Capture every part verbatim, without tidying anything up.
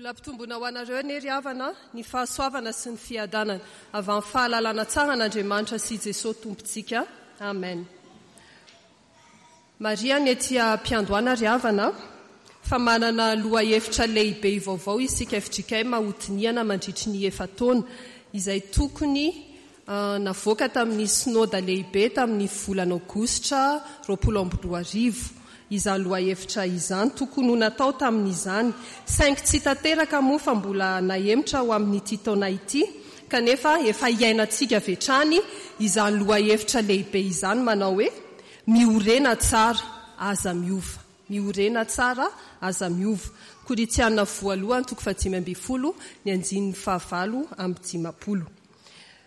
Mbola ampitomboina ho anareo anie ry havana ny fahasoavana sy ny fiadanana avy amin'ny fahalalana tsara an'Andriamanitra sy Jesosy Tompontsika. Amen. Marihana ety am-piandohana ry havana fa manana lohahevitra lehibe vaovao isika F J K M hodinihana mandritry ny efa-taona izay tokony navoaka tamin'ny synoda lehibe tamin'ny volana aogositra roapolo amby roa arivo. Izany lohahevitra izany tokony ho natao tamin'izany, saingy tsy tanteraka moa fa mbola nahemotra ho amin'ity taona ity, kanefa efa iainantsika avy hatrany izany lohahevitra lehibe izany manao hoe miorena tsara aza miova. Miorena tsara aza miova. Korintiana voalohany toko fahadimy ambin'ny folo ny andininy fahavalo amby dimampolo.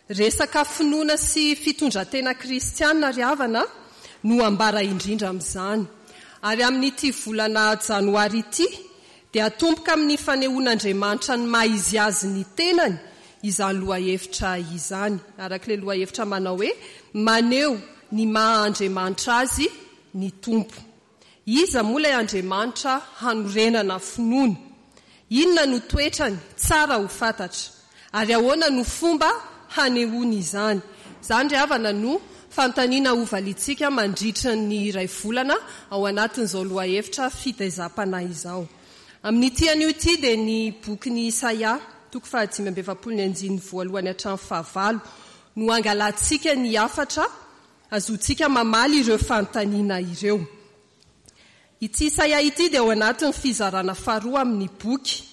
Resaka finoana sy fitondran-tena kristiana ry havana no ambara indrindra amin'izany. Ary amin'ity volana janoary ity dia atomboka amin'ny fanehoan'Andriamanitra ny maha izy azy ny tenany izany lohahevitra izany. Araka ilay lohahevitra manao hoe maneho ny maha Andriamanitra azy ny Tompo. Iza moa ilay Andriamanitra hanorenana finoana? Inona no toetrany tsara ho fantatra? Ary ahoana no fomba hanehoany izany? Izany ry havana no fanontaniana hovaliantsika mandritra ny iray volana ao anatin'izao lohahevitra fitaizam-panahy izao. Amin'ity anio ity dia ny bokin'i Isaia, toko fahadimy amby efapolo ny andininy voalohany hatramin'ny fahavalo, no angalantsika ny hafatra azontsika mamaly ireo fanontaniana ireo. Ity Isaia ity dia ao anatin'ny fizarana faharoa amin'ny boky,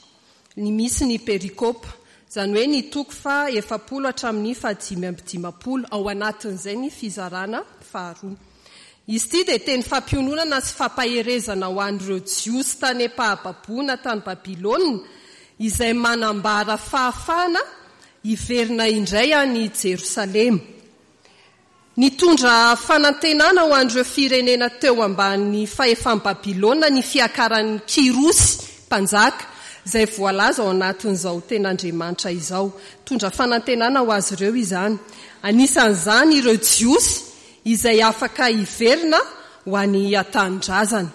ny misy ny perikopa, izany hoe ny toko faha efapolo hatramin'ny fahadimy amby dimampolo, ao anatin'izay ny fizarana faharoa. Izy ity dia teny fampiononana sy fampaherezana ho an'ireo Jiosy tany am-pahababoana tany Babylona, izay manambara fahafahana hiverina indray any Jerosalema. Nitondra fanantenana ho an'ireo firenena teo ambany fahefan'i Babylona ny fiakaran'ny Kyrosy mpanjaka, izay voalaza ao anatin'izao ten'Andriamanitra izao. Nitondra fanantenana ho azy ireo izany. Anisan'izany ireo Jiosy izay afaka hiverina ho any an-tanindrazana.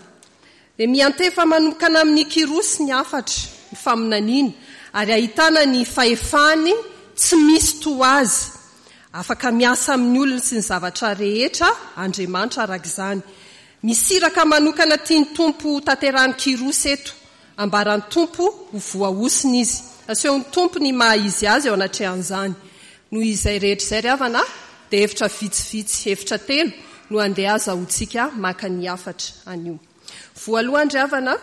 Dia miantefa manokana amin'ny Kyrosy ny hafatra, ny faminaniana, ary ahitana ny fahefany tsy misy toa azy. Afaka miasa amin'ny olona sy ny zavatra rehetra Andriamanitra araka izany. Misy iraka manokana tian'ny Tompo tanterahin'i Kyrosy eto. Ambaran'ny Tompo ho voahosina izy. Asehon'ny Tompo ny maha izy azy eo anatrehan'izany. Noho izay rehetra izay ry havana, dia hevitra vitsivitsy, hevitra telo no andeha azahoantsika maka ny hafatra anio. Voalohany ry havana,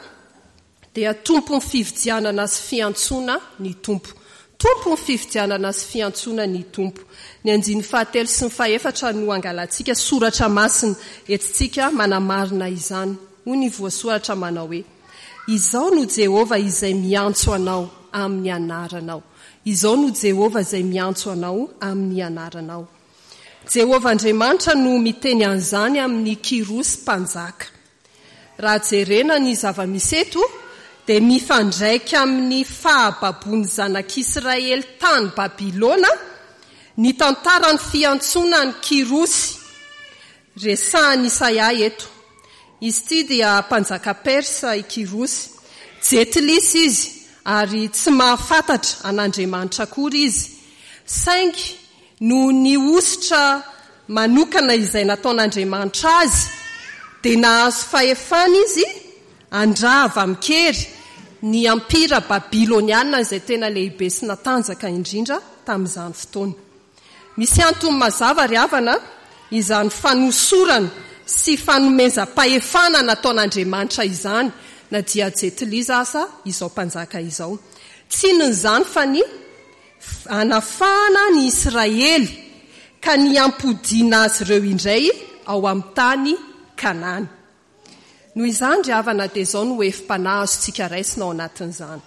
dia tompon'ny fividianana sy fiantsoana ny Tompo. Tompon'ny fividianana sy fiantsoana ny Tompo. Ny andininy fahatelo sy ny fahefatra no angalantsika soratra masina entintsika manamarina izany. Hoy ny voasoratra manao hoe: Izao no Jehovah izay miantso anao amin'ny anaranao. Izao no Jehovah izay miantso anao amin'ny anaranao. Jehovah Andriamanitra no miteny an'izany amin'ny Kyrosy mpanjaka. Raha jerena ny zava-misy eto, dia mifandraika amin'ny fahababoan'ny zanak'Israely tany Babylona ny tantaran'ny fiantsoana an'i Kyrosy. Resahan'i Isaia eto. Izy ity dia mpanjaka Persa i Kyrosy. Jentilisa izy ary tsy mahafantatra an'Andriamanitra akory izy. Saingy noho ny hosotra manokana izay nataon'Andriamanitra azy, dia nahazo fahefana izy handrava amin-kery ny ampira babyloniana izay tena lehibe sy natanjaka indrindra tamin'izany fotoana. Misy antony mazava ry havana izany fanosorana sy fanomezam-pahefana nataon'Andriamanitra izany, na dia jentilisa aza izao mpanjaka izao. Tsy inona izany fa ny hanafahana ny Israely ka ny hampodiana azy ireo indray ao amin'ny tany Kanana. Noho izany ry havana dia izao no hevi-panahy azontsika raisina ao anatin'izany.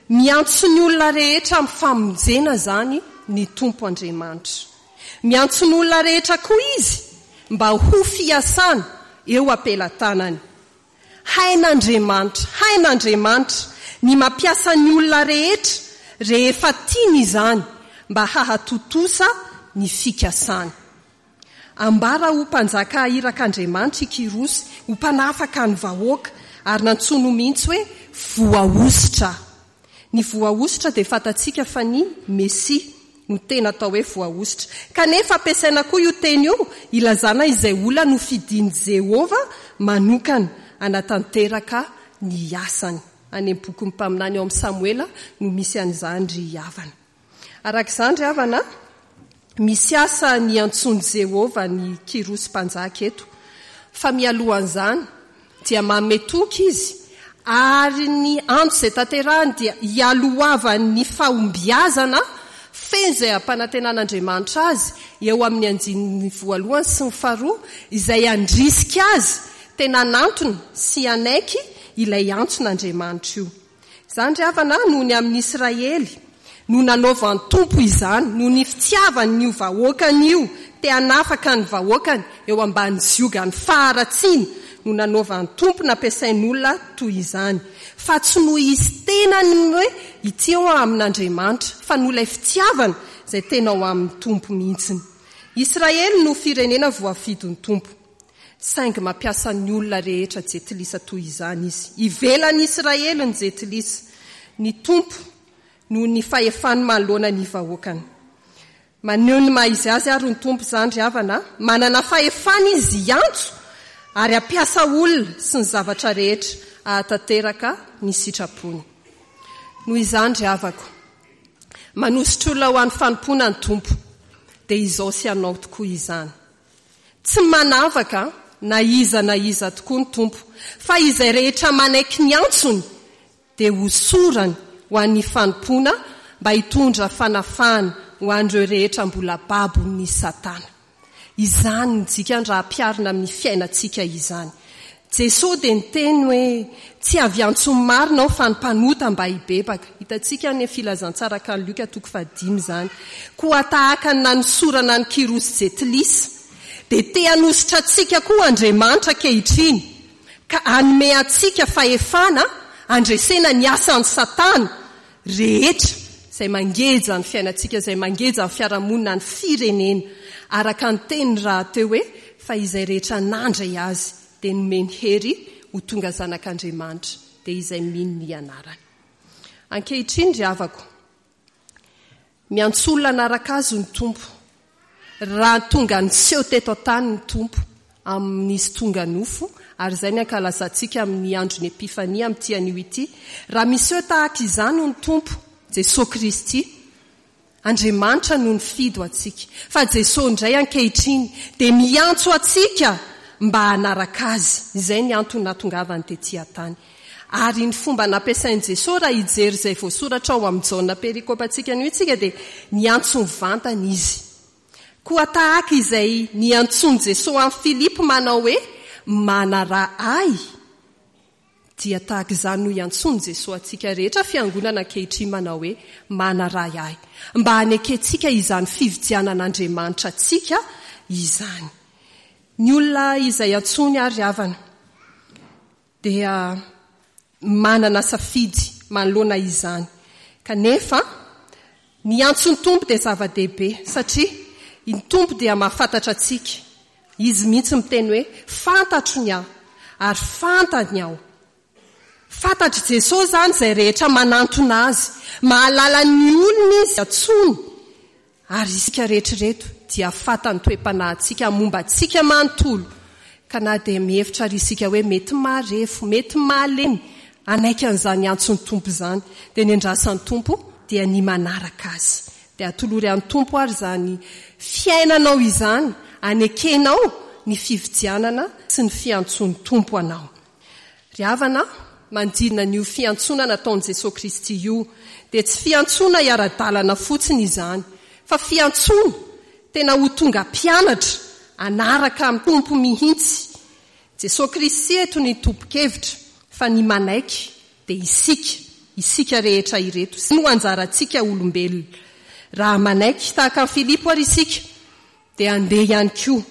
Miantso ny olona rehetra amin'ny famonjena izany ny Tompo Andriamanitra. Miantso ny olona rehetra koa izy mba ho fiasana eo am-pelatanany. Hain'Andriamanitra, hain'Andriamanitra ny mampiasa ny olona rehetra rehefa tiany izany mba hahatontosa ny fikasany. Ambara ho mpanjaka irak'Andriamanitra i Kyrosy, ho mpanafaka ny vahoaka, ary nantsoiny mihitsy hoe voahosotra. Ny voahosotra dia fantatsika fa ny Mesia no tena atao hoe voahosotra. Kanefa ampiasaina koa io teny io ilazana izay olona nofidin'i Jehovah manokana hanatanteraka ny asany. Any amin'ny bokin'ny mpaminany ao amin'ny Samoela no misy an'izany ry havana. Araka izany ry havana, misy asa niantsoan'i Jehovah an'i Kyrosy mpanjaka eto. Fa mialohan'izany dia manome toky izy, ary ny antso izay tanterahiny dia hialohavan'ny fahombiazana feno izay ampanantenan'Andriamanitra azy eo amin'ny andininy voalohany sy ny faharoa, izay handrisika azy tena hanantona sy hanaiky ilay antson'Andriamanitra io. Izany ry havana, noho ny amin'i Israely no nanaovan'ny Tompo izany, noho ny fitiavany io vahoakany io, te hanafaka ny vahoakany eo ambany ziogan'ny faharatsiana no nanaovan'ny Tompo nampiasain'olona toy izany. Fa tsy noho izy tenany hoe ity ao amin'Andriamanitra, fa noho ilay fitiavana izay tena ao amin'ny Tompo mihitsiny. Israely no firenena voafidin'ny Tompo. Saingy mampiasa ny olona rehetra jentilisa toy izany izy. Ivelan'i Israely ny jentilisa. Ny Tompo noho ny fahefany manoloana ny vahoakany. Maneho ny maha izy azy ary ny Tompo izany ry havana. Manana fahefana izy hiantso ary hampiasa olona sy ny zavatra rehetra hahatanteraka ny sitrapony. Noho izany ry havako, manositra olona ho an'ny fanompoana ny Tompo, dia izao sy ianao tokoa izany. Tsy manavaka na iza na iza tokoa ny Tompo, fa izay rehetra manaiky ny antsony dia hosorany ho an'ny fanompoana mba hitondra fanafahana ho an'ireo rehetra mbola babon'ny Satana. Izany ny dikany raha ampiharina amin'ny fiainantsika izany. Jesoa dia niteny hoe tsy avy antso ny marina aho fa ny mpanota mba hibebaka. Hitantsika any amin'ny filazantsara araka an'i Lioka toko fahadimy izany. Koa tahaka ny nanosorana an'i Kyrosy Jentilisa, dia te hanositra antsika koa Andriamanitra ankehitriny, ka hanome antsika fahefana handresena ny asan'i Satana rehetra izay mangeja ny fiainantsika, izay mangeja ny fiarahamonina, ny firenena. Araka ny teniny rahateo hoe fa izay rehetra nandray azy dia nomeny hery ho tonga zanak'Andriamanitra, dia izay mino ny anarany. Ankehitriny ry havako, miantso olona hanaraka azy ny Tompo. Raha tonga niseho teto an-tany ny Tompo amin'izy tonga nofo, ary izay ny ankalazantsika amin'ny andron'ny Epifania amin'ity anio ity, raha miseho tahaka izany ny Tompo, Jesoa Kristy, Andriamanitra no nifidy ho antsika. Fa Jesoa indray ankehitriny dia miantso antsika mba hanaraka Azy. Izay ny antony nahatongavany tety an-tany. Ary ny fomba nampiasain'i Jesoa raha hijery izay voasoratra ao amin'ny Jaona perikopantsika anio isika dia niantso mivantana Izy. Koa tahaka izay niantsoan'i Jesoa an'i Filipo manao hoe, Manaraha Ahy, dia tahaka izany no iantsoan'i Jesoa antsika rehetra fiangonana ankehitriny manao hoe, Manaraha Ahy, mba hanekentsika izany fividianan'Andriamanitra antsika izany. Ny olona izay antsoiny ary havana dia manana safidy manoloana izany. Kanefa, ny antson'ny Tompo dia zava-dehibe, satria ny Tompo dia mahafantatra antsika. Izy mihitsy miteny hoe, fantatro ny ahy, ary fantany aho. Fantatr'i Jesosy izany izay rehetra manantona Azy. Mahalala ny olona Izy antsoiny. Ary isika rehetra ireto dia fantany toe-panahintsika momba antsika manontolo. Ka na dia mihevitra ary isika hoe mety marefo, mety malemy, hanaiky an'izany antson'ny Tompo izany, dia ny andrasan'ny Tompo dia ny manaraka Azy. Dia atolory an'ny Tompo ary izany fiainanao izany, anekenao ny fividianana sy ny fiantsoan'ny Tompo anao. Ry havana, manodidina an'io fiantsoana nataon'i Jesoa Kristy io, dia tsy fiantsoana hiara-dalana fotsiny izany, fa fiantsoana tena ho tonga mpianatra hanaraka amin'ny Tompo mihitsy. Jesoa Kristy eto ny tompon-kevitra, fa ny manaiky dia isika, isika rehetra ireto. Izay no anjarantsika olombelona. Raha manaiky tahaka an'i Filipo ary isika, dia handeha ihany koa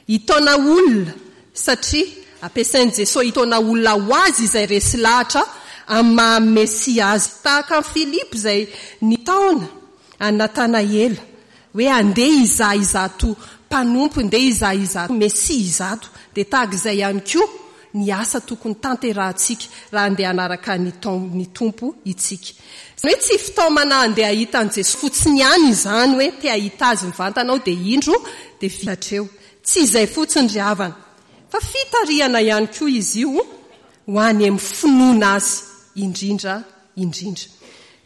hitaona olona, satria ampiasain'i Jesoa hitaona olona ho Azy izay resy lahatra amin'ny maha Mesia Azy. Tahaka an'i Filipo izay nitaona an'i Natanaela hoe handeha hizaha izato mpanompo, ndeha hizaha izato Mesia izato, dia tahaka izay ihany koa ny asa tokony tanterahantsika raha andeha hanaraka ny ny Tompo itsika. Izany hoe tsy fitaomana andeha hahita an'i Jesoa fotsiny ihany izany hoe te hahita azy mivantana aho dia indro dia vita hatreo. Tsy izay fotsiny ry havana, fa fitarihana ihany koa izy io ho any amin'ny finoana azy indrindra indrindra.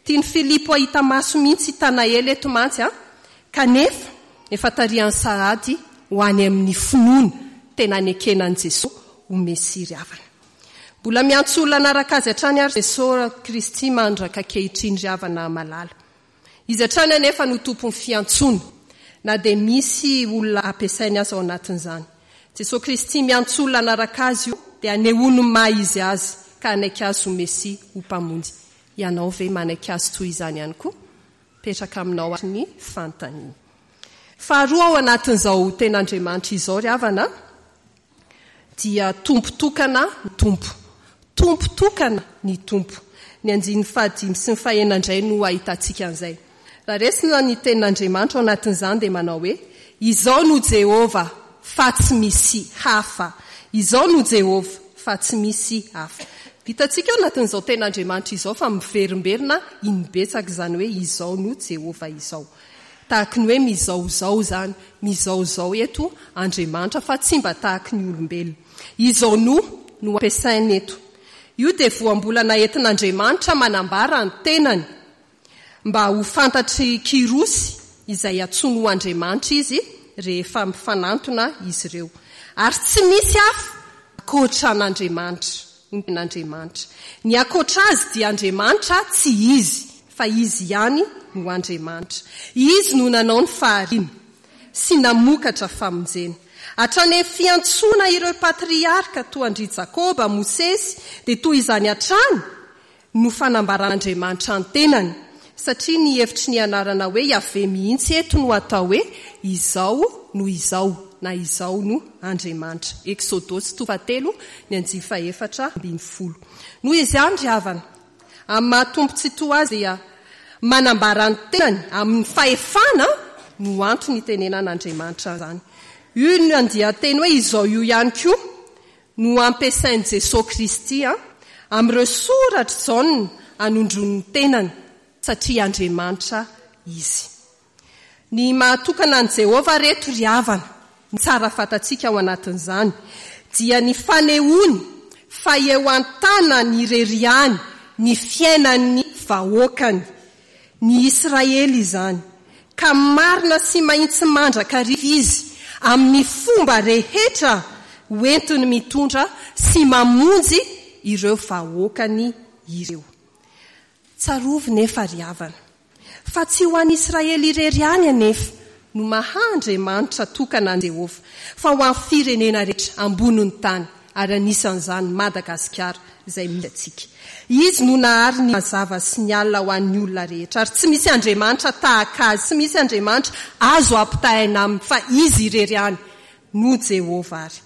Tian'i Filipo hahita maso mihitsy i Tanaela eto mantsy an, kanefa efa tarihany sahady ho any amin'ny finoana tena nekena an'i Jesoa ho Mesia ry havana. Mbola miantso olona hanaraka azy hatrany ary Jesoa Kristy mandraka ankehitriny ry havana malala. Izy hatrany anefa no tompon'ny fiantsoana, na dia misy olona ampiasainy aza ao anatin'izany. Jesoa Kristy miantso olona hanaraka azy io dia anehoany ny maha izy azy ka hanaiky azy ho Mesia, ho Mpamonjy. Ianao ve manaiky azy toy izany ihany koa? Mipetraka aminao ary ny fanontaniana. Faharoa ao anatin'izao ten'Andriamanitra izao ry havana dia Tompo tokana ny Tompo. Tompo tokana ny Tompo. Ny andininy fahadimy sy ny fahenina indray no ahitantsika an'izay. Raha resina ny tenin'Andriamanitra ao anatin'izany dia manao hoe Izao no Jehovah fa tsy misy hafa. Izao no Jehovah fa tsy misy hafa. Hitantsika ao anatin'izao tenin'Andriamanitra izao fa miverimberina inbetsaka izany hoe Izao no Jehovah izao. Tahaky ny hoe mizaozao izany, mizaozao eto Andriamanitra fa tsy mba tahaky ny olombelona. Izao no no ampiasainy eto. Io dia voambolana entin'Andriamanitra manambara ny tenany mba ho fantatry Kyrosy izay antsoiny ho Andriamanitra izy rehefa mifanantona izy ireo. Ary tsy misy hafa ankoatra an'Andriamanitra. Andriamanitra. Ny ankoatra azy dia Andriamanitra tsy izy, fa izy ihany no Andriamanitra. Izy no nanao ny fahariana sy namokatra famonjena. Hatrany amin'ny fiantsoana ireo patriarka toa an-dry Jakoba, Mosesy, dia toy izany hatrany no fanambaran'Andriamanitra ny tenany, satria ny hevitry ny anarana hoe Yaveh mihitsy eto no atao hoe Izao no Izao na Izao no Andriamanitra. Eksodosy toko fahatelo ny andiany fahefatra ambin'ny folo. Noho izany ry havana, amin'ny maha Tompo Tsitoha azy dia manambara ny tenany amin'ny fahefana no antony itenenan'Andriamanitra izany. Io ny andian-teny hoe izao io ihany koa no ampiasain'i Jesoa Kristy amin'ireo soratr'i Jaona anondroany ny tenany, satria Andriamanitra izy. Ny mahatokana an'i Jehovah reto ry havana, ny tsara fantatsika ao anatin'izany, dia ny fanehoany fa eo an-tanany irery ihany ny fiainan'ny vahoakany, ny Israely izany, ka marina sy mahitsy mandrakariva izy amin'ny fomba rehetra hoentiny mitondra sy mamonjy ireo vahoakany ireo. Tsarovy nefa ry havana, fa tsy ho an'i Israely irery ihany anefa no maha Andriamanitra tokana an'i Jehovah, fa ho an'ny firenena rehetra ambonin'ny tany, ary anisan'izany Madagasikara izay misy antsika. Izy no nahary ny mazava sy ny alina ho an'ny olona rehetra, ary tsy misy Andriamanitra tahaka azy, tsy misy Andriamanitra azo ampitahaina aminy, fa izy irery ihany no Jehovah. Ary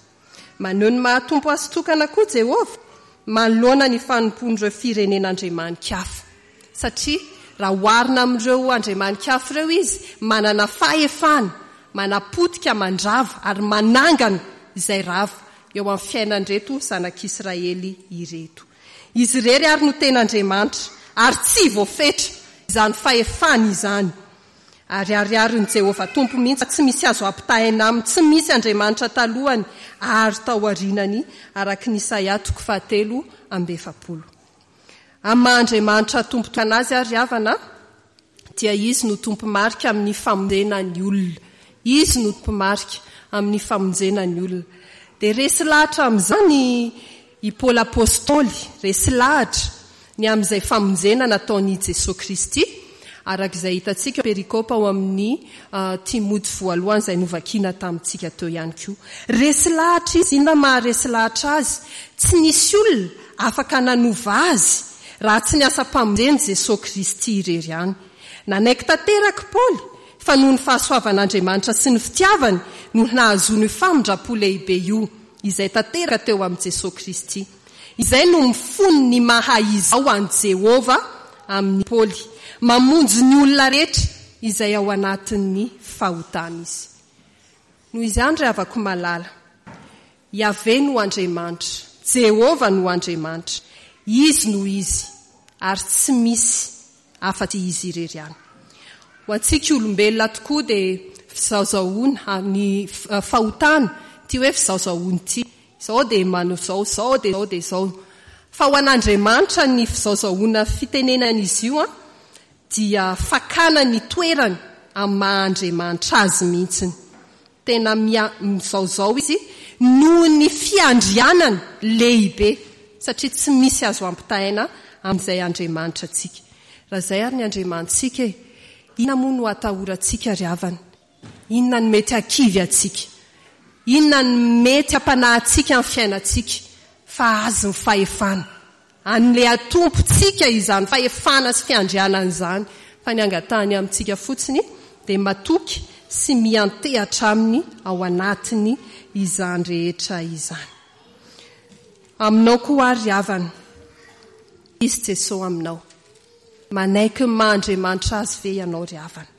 maneho ny maha Tompo azy tokana koa Jehovah manoloana ny fanompoan'ireo firenena andriamani-kafa, satria raha oharina amin'ireo andriamani-kafa ireo izy, manana fahefana, manapotika, mandrava ary manangana izay rava eo amin'ny fiainan'ireto zanak'Israely ireto. Izy irery ary no tena Andriamanitra, ary tsy voafetra izany fahefany izany. Ary ariarin'i Jehovah Tompo mihitsy fa tsy misy azo ampitahaina aminy, tsy misy Andriamanitra talohany ary taorianany, araka ny Isaia toko fahatelo amby efapolo. Amin'ny maha Andriamanitra Tompo tokana azy ary havana, dia Izy no tompo-marika amin'ny famonjena ny olona. Izy no tompo-marika amin'ny famonjena ny olona. Dia resy lahatra amin'izany i Paoly Apostoly, resy lahatra ny amin'izay famonjena nataon'i Jesoa Kristy, araka izay hitantsika perikopa ao amin'ny Timoty voalohany izay novakiana tamintsika teo ihany koa. Resy lahatra izy. Inona maha resy lahatra azy? Tsy nisy olona afaka nanova azy raha tsy ny asam-pamonjen'i Jesoa Kristy irery ihany. Nanaiky tanteraka i Paoly fa noho ny fahasoavan'Andriamanitra sy ny fitiavany no nahazoany io famindram-po lehibe io, izay tanteraka teo amin'i Jesoa Kristy. Izay no mifono ny maha izao an'i Jehovah amin'i Paoly. Mamonjy ny olona rehetra izay ao anatin'ny fahotana izy. Noho izany ry havako malala, Yaveh no Andriamanitra, Jehovah no Andriamanitra. Izy no Izy, ary tsy misy afa-tsy Izy irery ihany. Ho antsika olombelona tokoa dia fizaozahoana ny fahotana, ity hoe fizaozahoana ity. Izao dia manao izao, izao dia izao dia izao. Fa ho an'Andriamanitra ny fizaozahoana fitenenan'izy io dia fakana ny toerany amin'ny maha Andriamanitra azy mihitsiny. Tena mizaozao izy noho ny fiandrianany lehibe, satria tsy misy azo ampitahaina amin'izay Andriamanitra antsika. Raha izay ary ny Andriamanitsika e, inona moa no atahorantsika ry havana? Inona no mety hakivy antsika? Inona no mety hampanahy antsika amin'ny fiainantsika? Fa azy ny fahefana. An'ilay Tompontsika izany fahefana sy fiandrianana izany. Fa ny angatahany amintsika fotsiny dia matoky sy miantehatra aminy ao anatiny izany rehetra izany. Aminao koa ary ry havana, Izy Jesoa aminao. Manaiky ny maha Andriamanitra azy ve ianao ry havana?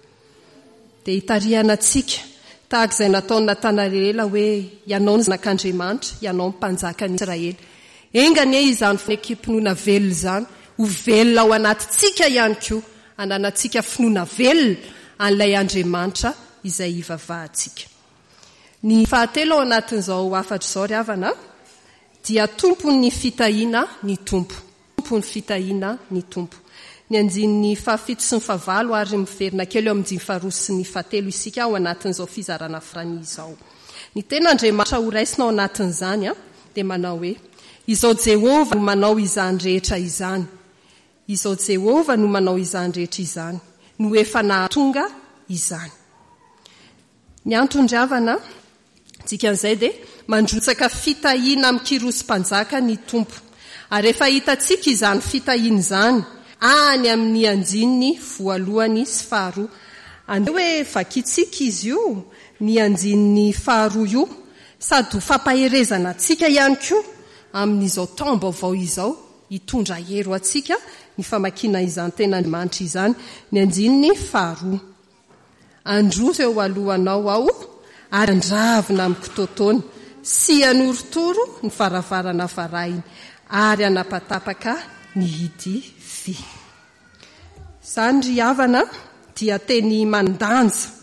Dia hitarihana antsika tahaka izay nataon'i Natanaela hoe ianao no zanak'Andriamanitra, ianao no mpanjakan'i Israely. Enga anie izany fanekem-pinoana velona izany ho velona ao anatintsika ihany koa, hananantsika finoana velona an'ilay Andriamanitra izay hivavahantsika. Ny fahatelo ao anatin'izao hafatra izao ry havana dia tompon'ny fitahiana ny Tompo. Tompon'ny fitahiana ny Tompo. Ny andininy fahafito sy ny fahavalo ary miverina kely eo amin'ny andininy faharoa sy ny fahatelo isika ao anatin'izao fizarana farany izao. Ny tenin'Andriamanitra horaisina ao anatin'izany dia manao hoe, Izao Jehovah no manao izany rehetra izany. Izao Jehovah no manao izany rehetra izany, no efa nahatonga izany. Ny antony ry havana, dikan'izay dia mandrotsaka fitahiana amin'i Kyrosy mpanjaka ny Tompo. Ary efa hitantsika izany fitahiana izany any amin'ny andininy voalohany sy faharoa. Andeha hoe vakintsika izy io, ny andininy faharoa io, sady ho fampaherezana antsika ihany koa amin'izao taom-baovao izao, hitondra hery ho antsika ny famakiana izany tenin'Andriamanitra izany, ny andininy faharoa. Handroso eo alohanao aho ary handravina amin'ny kitoatoana sy hanorotoro ny varavarana varahina ary hanapatapaka ny hidy vy. Izany ry havana dia teny manan-danja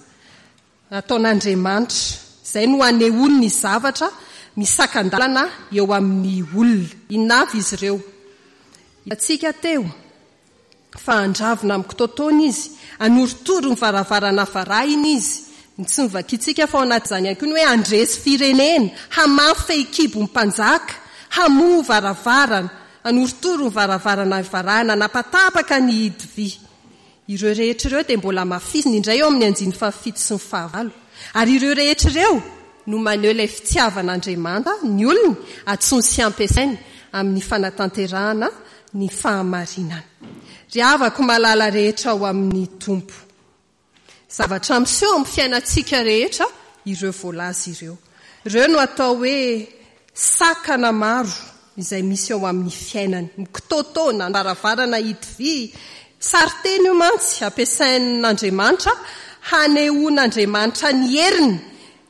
nataon'Andriamanitra. Izay no anehoany ny zavatra misakan-dalana eo amin'ny olona. Inona avy izy ireo? Hitantsika teo fa handravina amin'ny kitoatoana izy, hanorotoro ny varavarana varahina izy. Ny tsy novakintsika fa ao anatin'izany ihany koa ny hoe handresy firenena, hamafy fehikibo ny mpanjaka, hamoha varavarana, hanorotoro ny varavarana varahina, hanapatapaka ny hidy vy. Ireo rehetra ireo dia mbola hamafisiny indray eo amin'ny andininy fahafito sy ny fahavalo. Ary ireo rehetra ireo no maneho ilay fitiavan'Andriamanta ny olony, antsoiny sy ampiasainy amin'ny fanatanterahana ny fahamarinana. Ry havako malala rehetra ao amin'ny Tompo, zavatra miseho amin'ny fiainantsika rehetra ireo voalaza ireo. Ireo no atao hoe sakana maro izay misy eo amin'ny fiainany. Mikitoatoana, varavarana hidy vy. Sarin-teny io mantsy ampiasain'Andriamanitra hanehoan'Andriamanitra ny heriny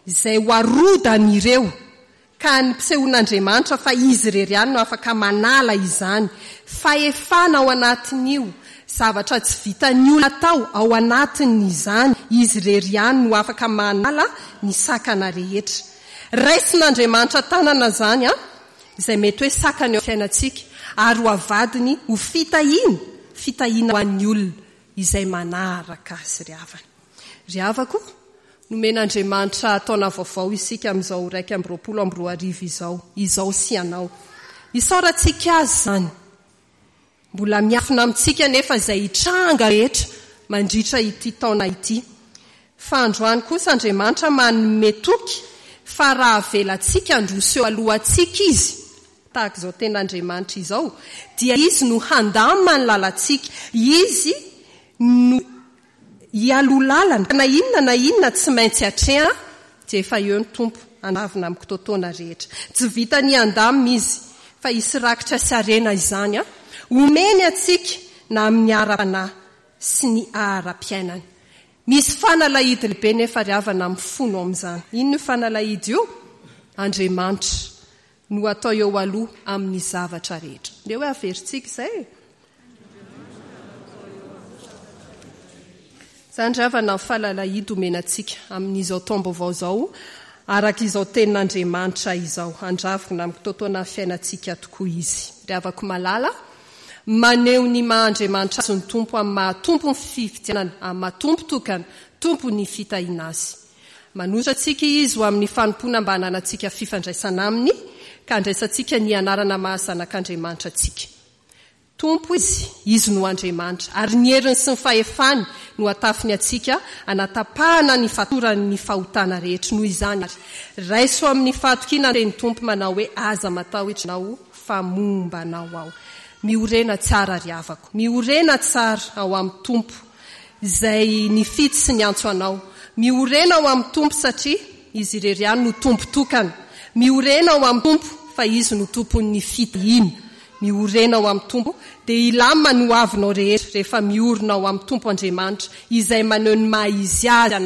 izay ho arodany ireo. Ka ny mpisehoan'Andriamanitra fa izy irery ihany no afaka manala izany. Fahefana ao anatin'io, zavatra tsy vitan'ny olona atao ao anatin'izany, izy irery ihany no afaka manala ny sakana rehetra. Raisin'Andriamanitra tanana izany, izay mety hoe sakana eo amin'ny fiainantsika, ary ho avadiny ho fitahiana, fitahiana ho an'ny olona izay manaraka azy ry havana. Ry havako, nomen'Andriamanitra taona vaovao isika amin'izao iraika amby roapolo amby roa arivo izao, izao sy ianao. Isaorantsika azy izany. Mbola miafina amintsika anefa izay hitranga rehetra mandritra ity taona ity. Fa androany kosa Andriamanitra manome toky fa raha avelantsika handroso eo alohantsika Izy, tahaka izao tenin'Andriamanitra izao, dia Izy no handamina ny lalantsika, Izy no hialoha lalana, na inona na inona tsy maintsy atrehana, dia efa eo ny Tompo handavina amin'ny kitoatoana rehetra. Tsy vitan'ny handamina Izy, fa hisy rakitra sy harena izany homeny antsika na amin'ny ara-panahy sy ny ara-piainana. Misy fanalahidy lehibe nefa ry havana mifono amin'izany. Inona io fanalahidy io? Andriamanitra. no atao eo aloha amin'ny zavatra rehetra. Ndeha hoe averintsika izay e. Izany ry havana ny falalahidy omena antsika amin'izao taom-baovao izao, araka izao tenin'Andriamanitra izao. Handravona amin'ny kitoatoana ny fiainantsika tokoa Izy. Ry havako malala, maneho ny maha Andriamanitra Azy ny Tompo amin'ny maha Tompon'ny fifidianana, amin'ny maha Tompo tokana, Tompon'ny fitahiana Azy. Manotra antsika Izy ho amin'ny fanompoana mba hananantsika fifandraisana Aminy, ka handraisantsika ny anarana maha zanak'Andriamanitra antsika. Tompo Izy, Izy no Andriamanitra, ary ny heriny sy ny fahefany no atafiny antsika hanatapahana ny fatoran'ny fahotana rehetra. Noho izany ary, raiso amin'ny fahatokiana ny tenin'ny Tompo manao hoe, Aza matahotra ianao, fa momba anao Aho. Miorena tsara ry havako, miorena tsara ao amin'ny Tompo izay nifidy sy niantso anao. Miorena ao amin'ny Tompo satria Izy irery ihany no Tompo tokana. Miorena ao amin'ny Tompo fa Izy no Tompon'ny fitahiana. Miorena ao amin'ny Tompo dia hilamina ny hoavinao rehetra rehefa miorina ao amin'ny Tompo Andriamanitra izay maneho ny maha Izy Azy anao.